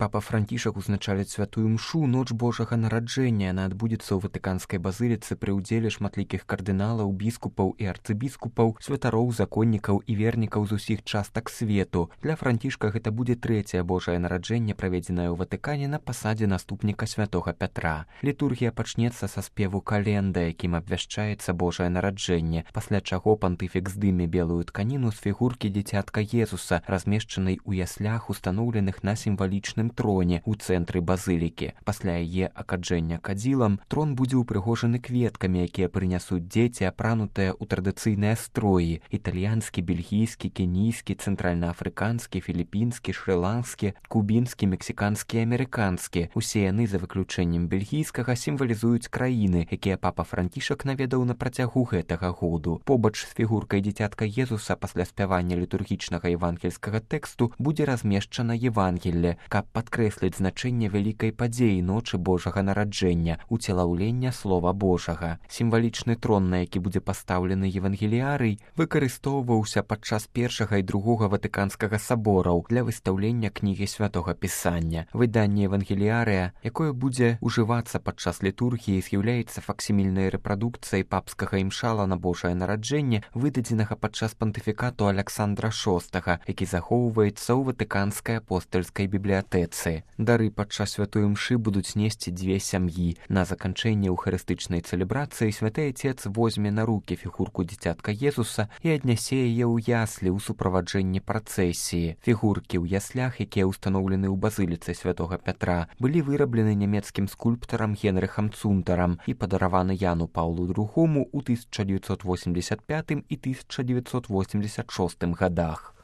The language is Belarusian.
Папа Францішак узначаліць святую мшу ноч Божага нараджэння. Яна адбудзецца ў Ватыканскай базыліцы пры ўдзеле шматлікіх кардыналаў, біскупаў і арцыбіскупаў, святароў, законнікаў і вернікаў з усіх частак свету. Для Францішка гэта будзе трэцяе Божае нараджэнне, праведзенае ў Ватыкане на пасадзе наступніка святога Пятра. Літургія пачнецца са спеву календа, якім абвяшчаецца Божае нараджэнне, пасля чаго пантыфік здыме белую тканіну з фігуркі дзіцятка Езуса, размешчанай у яслях, устаноўленых на сімвалічным троне ў цэнтры базылікі. Пасля яе акаджэння кадзілам трон будзе ўпрыгожаны кветкамі, якія прынясуць дзеці, апранутыя ў традыцыйныя строі: італьянскі, бельгійскі, кенійскі, цэнтральнаафрыканскі, філіпінскі, шры-ланскі, кубінскі, мексіканскі і амерыканскі. Усе яны, за выключэннем бельгійскага, сімвалізуюць краіны, якія папа Францішак наведаў на працягу гэтага году. Побач з фігуркай дзіцятка Езуса пасля спявання літургічнага евангельскага тэксту будзе размешчана Евангелле, каб падкрэсліць значэнне вялікай падзеі ночы Божага нараджэння, уцелаўлення Слова Божага. Сімвалічны трон, на які будзе пастаўлены евангеліярый, выкарыстоўваўся падчас першага і другога Ватыканскага сабораў для выстаўлення кнігі святога Пісання. Выданне евангеліярыя, якое будзе ўжывацца падчас літургіі, з'яўляецца факсімільнай рэпрадукцыяй папскага імшала на Божае нараджэнне, выдадзенага падчас пантыфікату Аляксандра VI, які захоўваецца ў Ватыканскай апостальскай бібліятэцы. Дары падчас святой мшы будуць несці дзве сям'і. На заканчэнне эўхарыстычнай цэлебрацыі святы Отец возьме на рукі фігурку дзіцятка Езуса і аднясе яе ў яслі ў суправаджэнні працэсіі. Фігуркі ў яслях, якія ўстаноўлены ў базыліцы святога Пятра, былі выраблены нямецкім скульптарам Генрыхам Цунтарам і падараваны Яну Паўлу II ў 1985 і 1986 годах.